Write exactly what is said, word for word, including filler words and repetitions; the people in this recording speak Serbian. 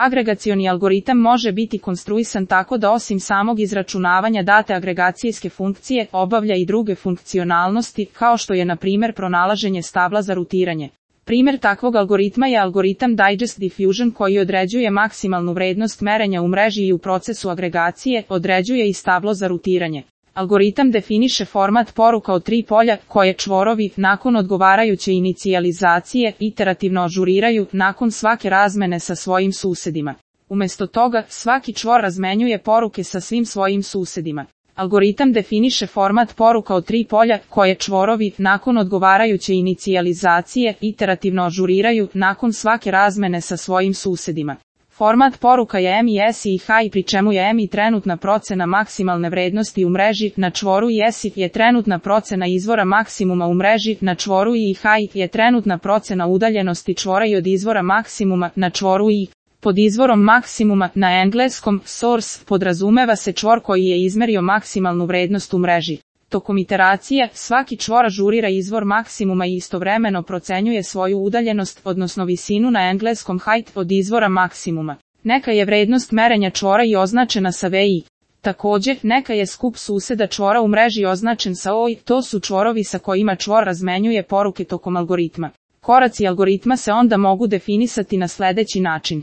Agregacioni algoritam može biti konstruisan tako da osim samog izračunavanja date agregacijske funkcije, obavlja i druge funkcionalnosti, kao što je na primjer pronalaženje stabla za rutiranje. Primjer takvog algoritma je algoritam Digest Diffusion koji određuje maksimalnu vrednost merenja u mreži i u procesu agregacije, određuje i stablo za rutiranje. Algoritam definiše format poruka od tri polja, koje čvorovi, nakon odgovarajuće inicijalizacije, iterativno ažuriraju, nakon svake razmene sa svojim susedima. Umjesto toga, svaki čvor razmenjuje poruke sa svim svojim susedima. Algoritam definiše format poruka od tri polja, koje čvorovi, nakon odgovarajuće inicijalizacije, iterativno ažuriraju, nakon svake razmene sa svojim susedima. Format poruka je M I S I H, pri čemu je M I trenutna procena maksimalne vrednosti u mreži, na čvoru i S I je trenutna procena izvora maksimuma u mreži, na čvoru i H je trenutna procena udaljenosti čvora i od izvora maksimuma, na čvoru i. Pod izvorom maksimuma, na engleskom, source, podrazumeva se čvor koji je izmerio maksimalnu vrednost u mreži. Tokom iteracije, svaki čvor ažurira izvor maksimuma i istovremeno procenjuje svoju udaljenost, odnosno visinu na engleskom height, od izvora maksimuma. Neka je vrednost merenja čvora i označena sa V I. Također, neka je skup suseda čvora u mreži označen sa O I, to su čvorovi sa kojima čvor razmenjuje poruke tokom algoritma. Koraci algoritma se onda mogu definisati na sljedeći način.